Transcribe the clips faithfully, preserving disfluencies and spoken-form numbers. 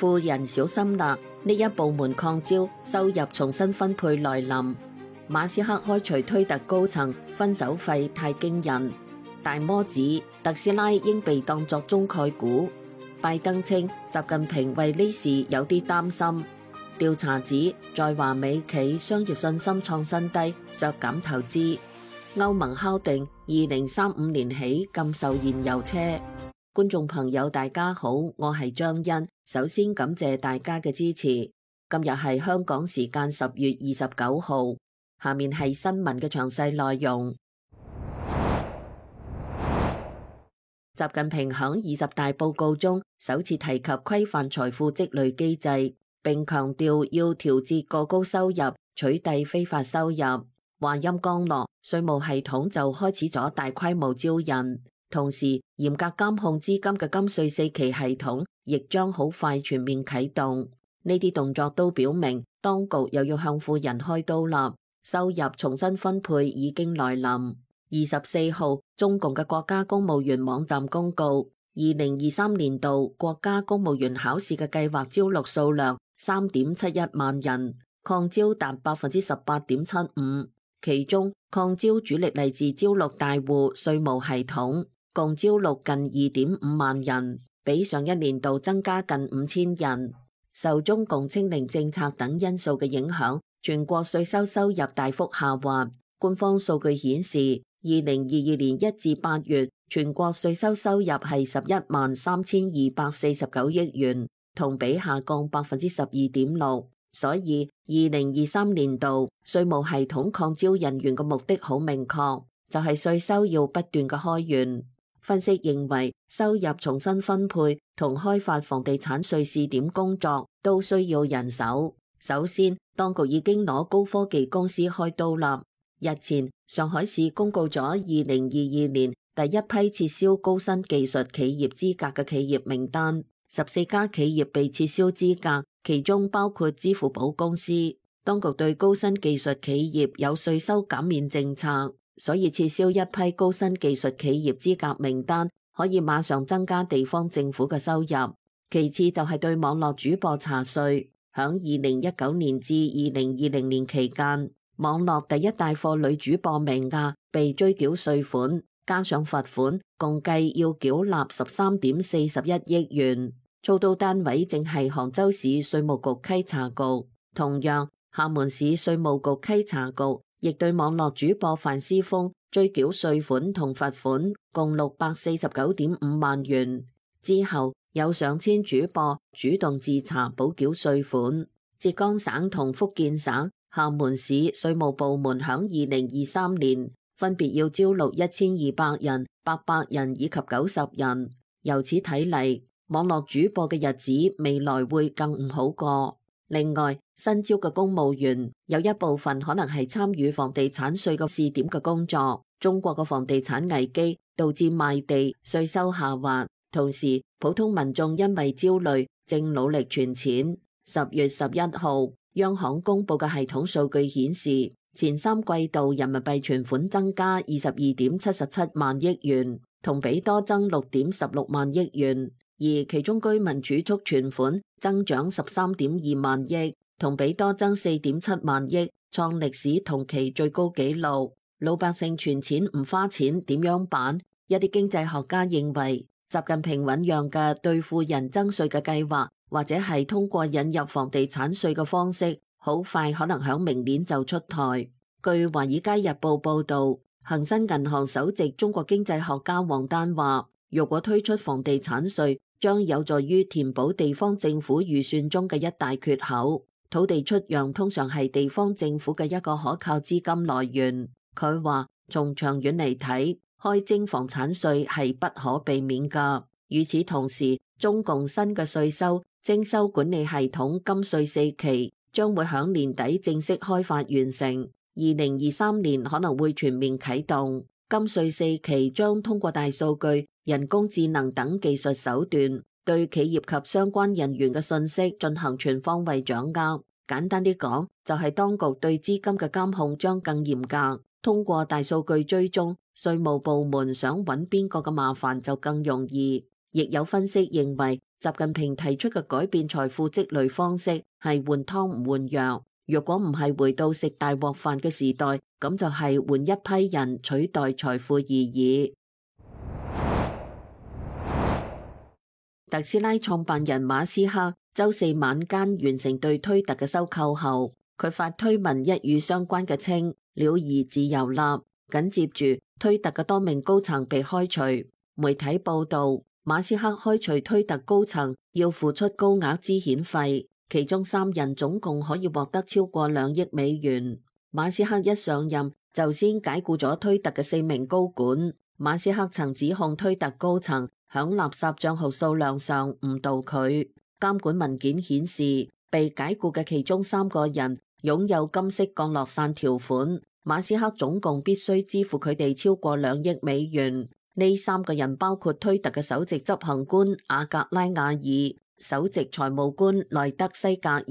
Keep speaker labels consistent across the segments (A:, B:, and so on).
A: 富人小心啦，呢一部門擴招，收入重新分配來臨。馬斯克開除推特高層，分手費太驚人。大摩指特斯拉應被當作中概股。拜登稱習近平為呢事有啲擔心。調查指在華美企商業信心創新低，削減投資。歐盟敲定二零三五年起禁售燃油車。觀眾朋友大家好，我係張欣，首先感謝大家嘅支持。今日係香港時間十月二十九號，下面係新聞嘅詳細內容。習近平響二十大報告中首次提及規範財富積累機制，並強調要調節過高收入，取締非法收入。話音剛落，稅務系統就開始咗大規模招人，同時嚴格監控資金嘅金稅四期系統亦將好快全面啟動。呢啲動作都表明，當局又要向富人開刀啦，收入重新分配已經來臨。二十四號，中共嘅國家公務員網站公告，二零二三年度國家公務員考試嘅計劃招錄數量三點七一萬人，擴招達百分之十八點七五。其中擴招主力嚟自招錄大戶稅務系統，共招錄近二點五萬人，比上一年度增加近五千人。受中共清零政策等因素嘅影響，全國稅收收入大幅下滑。官方數據顯示，二零二二年一至八月，全國稅收收入係十一萬三千二百四十九億元，同比下降百分之十二點六。所以，二零二三年度稅務系統擴招人員嘅目的好明確，就係稅收要不斷嘅開源。分析認為，收入重新分配同開發房地產稅試點工作都需要人手。首先，當局已經攞高科技公司開刀啦。日前，上海市公告咗二零二二年第一批撤銷高新技術企業資格嘅企業名單，十四家企業被撤銷資格，其中包括支付寶公司。當局對高新技術企業有稅收減免政策，所以撤銷一批高新技術企業資格名單，可以馬上增加地方政府嘅收入。其次就係對網絡主播查稅，響二零一九年至二零二零年期間，網絡第一帶貨女主播名亞被追繳稅款，加上罰款，共計要繳納十三點四十一億元。操刀單位正係杭州市稅務局稽查局。同樣，廈門市稅務局稽查局亦對網絡主播范思峰追繳稅款同罰款，共六百四十九點五萬元。之後有上千主播主動自查補繳稅款。浙江省同福建省、廈門市稅務部門響二零二三年分別要招錄一千二百人、八百人以及九十人。由此睇嚟，網絡主播嘅日子未來會更唔好過。另外，新招嘅公務員有一部分可能係參與房地產稅嘅試點嘅工作。中國嘅房地產危機導致賣地稅收下滑，同時普通民眾因為焦慮正努力存錢。十月十一號，央行公布嘅系統數據顯示，前三季度人民幣存款增加二十二點七十七萬億元，同比多增六點十六萬億元。而其中居民儲蓄存款增長十三點二萬億，同比多增四點七萬億，創歷史同期最高紀錄。老百姓存錢唔花錢點樣辦？一啲經濟學家認為，習近平醞釀嘅對富人增稅嘅計劃，或者係通過引入房地產稅嘅方式，好快可能響明年就出台。據華爾街日報報道，恒生銀行首席中國經濟學家王丹話，如果推出房地產稅，將有助於填補地方政府預算中嘅一大缺口。土地出讓通常係地方政府嘅一個可靠資金來源。佢話，從長遠嚟睇，開徵房產稅係不可避免㗎。與此同時，中共新嘅稅收徵收管理系統金稅四期將會響年底正式開發完成，二零二三年可能會全面啟動。金稅四期將通過大數據、人工智能等技術手段，對企業及相關人員嘅信息進行全方位掌握。簡單啲講，就係當局對資金嘅監控將更嚴格。通過大數據追蹤，稅務部門想揾邊個嘅麻煩就更容易。亦有分析認為，習近平提出嘅改變財富積累方式係換湯唔換藥，若果唔係回到食大鍋飯嘅時代，咁就係換一批人取代財富而已。特斯拉創辦人馬斯克周四晚間完成對推特嘅收購後，佢發推文一語相關嘅稱了兒自由立，緊接住推特嘅多名高層被開除。媒體報道，馬斯克開除推特高層要付出高額資遣費，其中三人總共可以獲得超過兩億美元。馬斯克一上任就先解僱咗推特嘅四名高管。馬斯克曾指控推特高層響垃圾賬號數量上誤導佢。監管文件顯示，被解僱嘅其中三個人擁有金色降落傘條款，馬斯克總共必須支付佢哋超過兩億美元。呢三個人包括推特嘅首席執行官阿格拉瓦爾、首席財務官萊德西格爾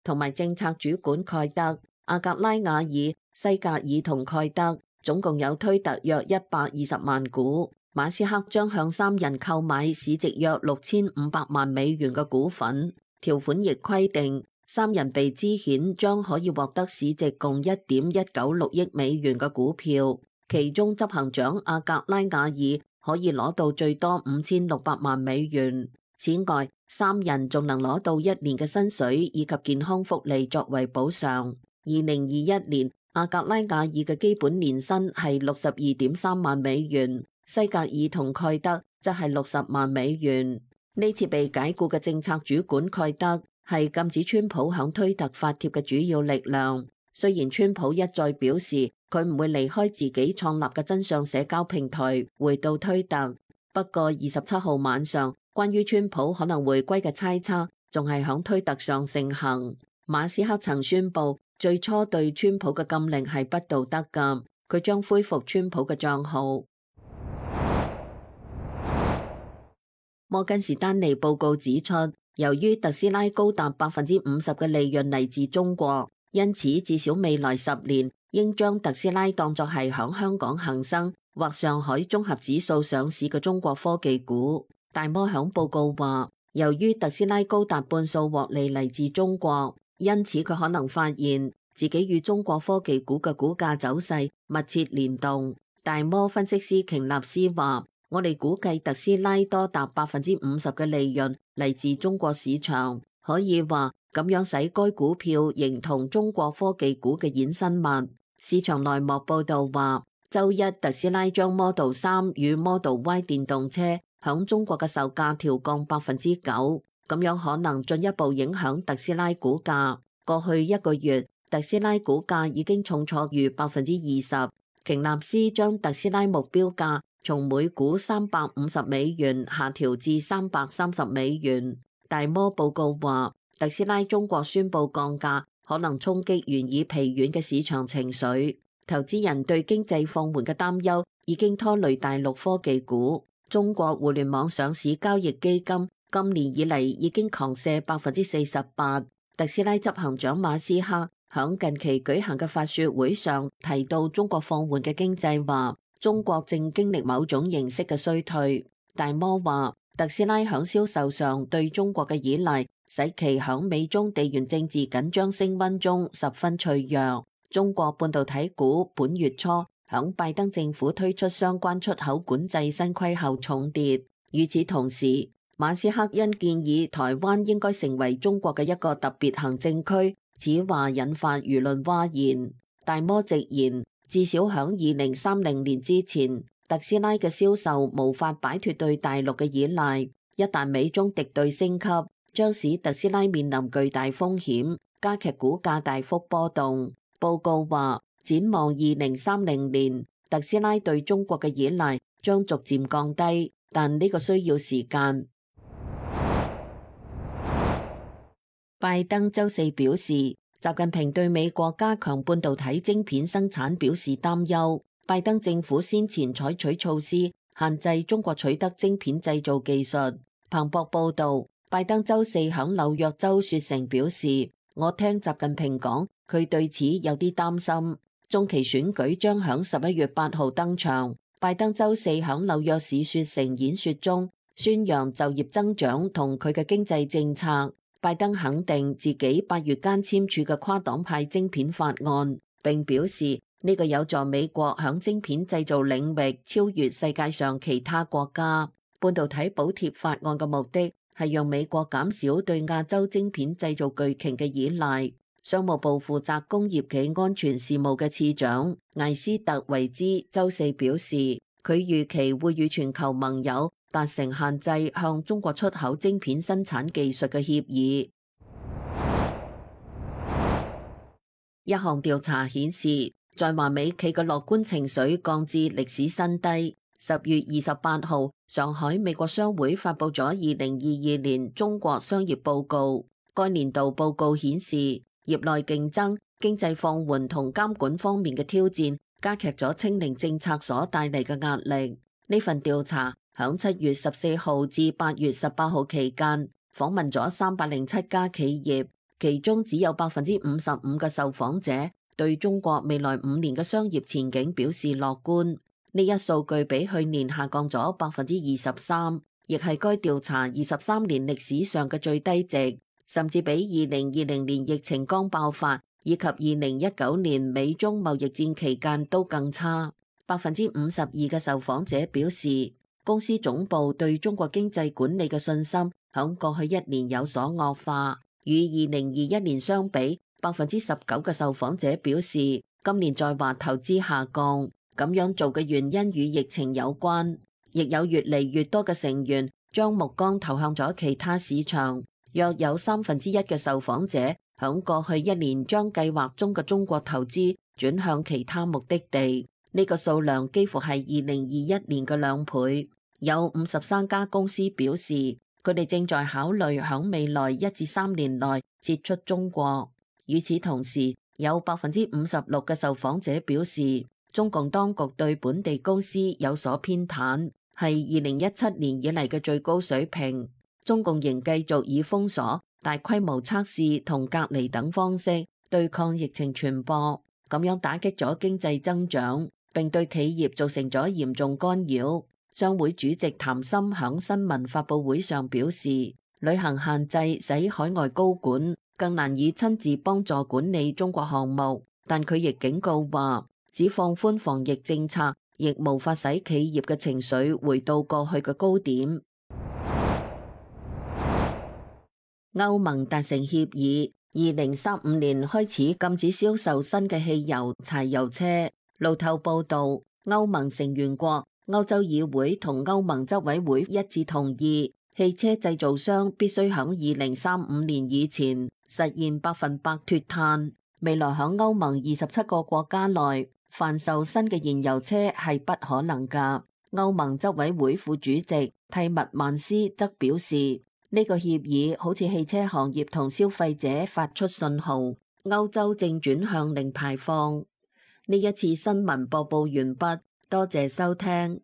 A: 同埋政策主管蓋德。阿格拉瓦爾、西格爾同蓋德總共有推特約一百二十萬股。馬斯克將向三人購買市值約六千五百萬美元嘅股份。條款亦規定，三人被資遣將可以獲得市值共一點一九六億美元嘅股票，其中執行長阿格拉瓦爾可以攞到最多五千六百萬美元。此外，三人仲能攞到一年嘅薪水以及健康福利作為補償。二零二一年，阿格拉瓦爾嘅基本年薪係六十二點三萬美元。西格爾同蓋德則係六十萬美元。呢次被解僱嘅政策主管蓋德係禁止川普響推特發帖嘅主要力量。雖然川普一再表示佢唔會離開自己創立嘅真相社交平台回到推特，不過二十七號晚上關於川普可能回歸嘅猜測仲係響推特上盛行。馬斯克曾宣布最初對川普嘅禁令係不道德㗎，佢將恢復川普嘅賬號。摩根士丹利報告指出，由於特斯拉高達百分之五十嘅利潤嚟自中國，因此至少未來十年應將特斯拉當作係響香港恒生或上海綜合指數上市嘅中國科技股。大摩響報告話，由於特斯拉高達半數獲利嚟自中國，因此佢可能發現自己與中國科技股嘅股價走勢密切聯動。大摩分析師瓊納斯話，我哋估計特斯拉多達百分之五十嘅利潤嚟自中國市場，可以話咁樣使該股票形同中國科技股嘅衍生物。市場內幕報道話，周一特斯拉將 Model 三與 Model Y 電動車響中國嘅售價調降百分之九，咁樣可能進一步影響特斯拉股價。過去一個月，特斯拉股價已經重挫逾百分之二十。瓊納斯將特斯拉目標價從每股三百五十美元下調至三百三十美元。大摩報告話，特斯拉中國宣布降價，可能衝擊原已疲軟嘅市場情緒。投資人對經濟放緩嘅擔憂已經拖累大陸科技股。中國互聯網上市交易基金今年以嚟已經狂瀉百分之四十八。特斯拉執行長馬斯克響近期舉行嘅發說會上提到，中國放緩嘅經濟話，中國正經歷某種形式嘅衰退。大摩話，特斯拉響銷售上對中國嘅依賴，使其響美中地緣政治緊張升溫中十分脆弱。中國半導體股本月初響拜登政府推出相關出口管制新規後重跌。與此同時，馬斯克因建議台灣應該成為中國嘅一個特別行政區，此話引發輿論譁然。大摩直言，至少響二零三零年之前，特斯拉嘅銷售無法擺脫對大陸嘅依賴。一旦美中敵對升級，將使特斯拉面臨巨大風險，加劇股價大幅波動。報告話，展望二零三零年，特斯拉對中國嘅依賴將逐漸降低，但呢個需要時間。拜登周四表示，習近平對美國加強半導體晶片生產表示擔憂。拜登政府先前採取措施限制中國取得晶片製造技術。彭博報道，拜登周四響紐約州雪城表示，我聽習近平講，佢對此有啲擔心。中期選舉將響十一月八號登場。拜登周四響紐約市雪城演說中宣揚就業增長同佢嘅經濟政策。拜登肯定自己八月間簽署嘅跨黨派晶片法案，並表示呢個有助美國響晶片製造領域超越世界上其他國家。半導體補貼法案嘅目的係讓美國減少對亞洲晶片製造巨擎嘅依賴。商務部負責工業企安全事務嘅次長艾斯特維茲周四表示，佢預期會與全球盟友達成限制向中國出口晶片生產技術嘅協議。一項調查顯示，在華美企嘅樂觀情緒降至歷史新低。十月二十八號，上海美國商會發佈咗二零二二年中國商業報告。該年度報告顯示，業內競爭、經濟放緩同監管方面嘅挑戰，加劇咗清零政策所帶嚟嘅壓力。呢份調查響七月十四號至八月十八號期間，訪問咗三百零七家企業，其中只有百分之五十五嘅受訪者對中國未來五年嘅商業前景表示樂觀。呢一數據比去年下降咗百分之二十三，亦係該調查二十三年歷史上嘅最低值，甚至比二零二零年疫情剛爆發以及二零一九年美中貿易戰期間都更差。百分之五十二嘅受訪者表示，公司總部對中國經濟管理嘅信心響過去一年有所惡化，與二零二一年相比，百分之十九嘅受訪者表示今年在華投資下降。咁樣做嘅原因與疫情有關，亦有越嚟越多嘅成員將目光投向咗其他市場。約有三分之一嘅受訪者響過去一年將計劃中嘅中國投資轉向其他目的地，呢個數量幾乎係二零二一年嘅兩倍。有五十三家公司表示，佢哋正在考慮響未來一至三年內撤出中國。與此同時，有百分之五十六嘅受訪者表示，中共當局對本地公司有所偏袒，係二零一七年以嚟嘅最高水平。中共仍繼續以封鎖、大規模測試同隔離等方式對抗疫情傳播，咁樣打擊咗經濟增長，並對企業造成咗嚴重干擾。商會主席譚森響新聞發佈會上表示，旅行限制使海外高管更難以親自幫助管理中國項目，但佢亦警告話，只放寬防疫政策，亦無法使企業嘅情緒回到過去嘅高點。歐盟達成協議，二零三五年開始禁止銷售新嘅汽油、柴油車。路透報道，歐盟成員國、歐洲議會同歐盟執委會一致同意，汽車製造商必須響二零三五年以前實現百分百脫碳。未來響歐盟二十七個國家內，販售新嘅燃油車係不可能㗎。歐盟執委會副主席蒂默曼斯則表示，呢個協議好似汽車行業同消費者發出信號，歐洲正轉向零排放。呢一次新聞播報完畢，多謝收聽。